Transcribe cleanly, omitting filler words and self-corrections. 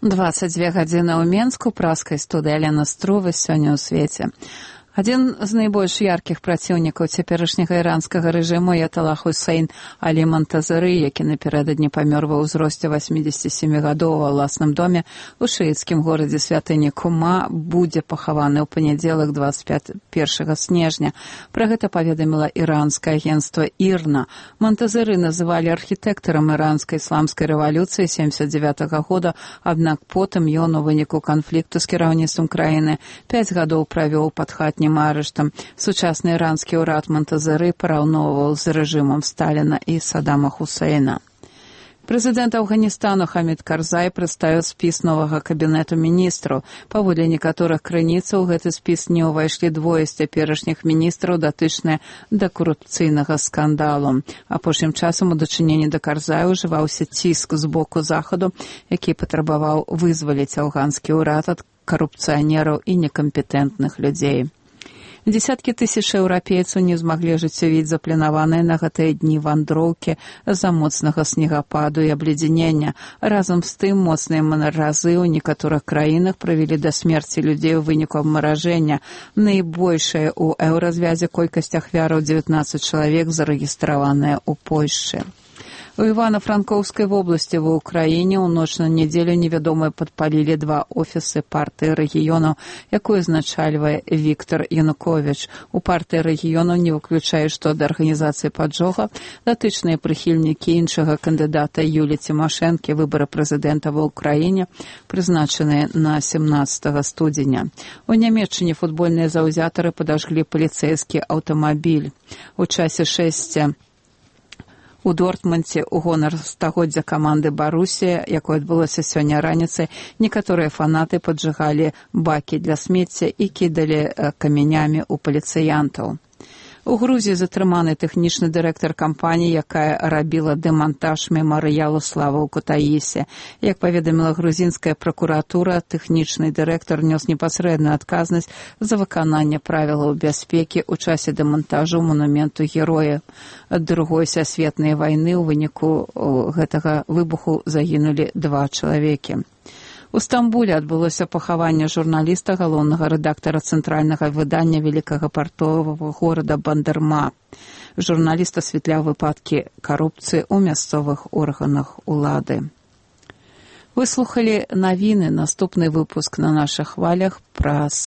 22 гадзіны ў Менску, праскай студыі Алена Струва сёння ў свеце. Адзін з найбольш яркіх праціўнікаў цяперашняга іранскага рэжыму Аяталла Хусейн Алі Монтазары, які напярэдадні памёр ва ўзросце 87 гадоў ва ўласным доме у шыіцкім горадзе святыні Кума, будзе пахаваны ў панядзелак 21 снежня. Пра гэта паведаміла іранскае агенцтва ІРНА. Монтазары называлі архітэктарам іранскай ісламскай рэвалюцыі 79 года, аднак потым ён у выніку канфлікту з кіраўніцтвам краіны 5 гадоў правёў пад хатнім арыштам. Сучасны іранскі ўрад Монтазары параўноўваў з рэжымам Сталіна і Саддама Хусейна. Прэзідэнт Афганістану Хамід Карзай прадставіў спіс новага кабінету міністраў. Паводле некаторых крыніцаў, у гэты спіс не ўвайшлі двое з цяперашніх міністраў, датычныя да карупцыйнага скандалу. Апошнім часам у дачыненні да Карзая ўжываўся ціск з боку захаду, які патрабаваў вызваліць афганскі ўрад ад карупцыянераў і некампетэнтных людзей. Дзесяткі тысяч еўрапейцаў не змаглі ажыццявіць запланаваныя на гэтыя дні вандроўкі з-за моцнага снегападу і абледзянення. Разам з тым, моцныя маразы ў некаторых краінах прывялі да смерці людзей у выніку абмаражэння. Найбольшая ў еўразвязе колькасць ахвяраў 19 чалавек зарэгістраваная ў Польшчы. У Івано-Франкоўскай вобласці ва ўкраіне ў ноч на нядзелю невядомыя падпалілі два офісы партыі рэгіёнаў, якую узначальвае Віктор Януковіч. У партыі рэгіёнаў не выключае, што ад арганізацыі паджога датычныя прыхільнікі іншага кандыдата Юлі Цімашэнкі, выбары прэзідэнта ва ўкраіне, прызначаныя на 17 студзеня. У Нямецчыне футбольныя заўзятары падажглі паліцэйскі аўтамабіль. У часе шэсця у Дортмундзе ў гонар стагоддзя каманды Барусія, якое адбылося сёння раніцай, некаторыя фанаты паджигалі бакі для смецця і кідалі камянямі ў паліцыянтаў. У Грузіі затрыманы тэхнічны дырэктар кампаніі, якая рабіла дэмантаж мемарыялу славы ў Кутаісе. Як паведаміла грузінская пракуратура, тэхнічны дырэктар нёс непасрэдную адказнасць за выкананне правілаў бяспекі ў часе дэмантажу манументу героя Другой сусветнай вайны. У выніку гэтага выбуху загінулі 2 чалавекі. У Стамбуле адбылося пахаванне журналіста, галоўнага рэдактара цэнтральнага выдання вялікага партовага горада Бандерма. Журналіст асвятляў выпадкі карупцыі ў мясцовых органах улады. Вы слухалі навіны. Наступны выпуск на нашых хвалях праз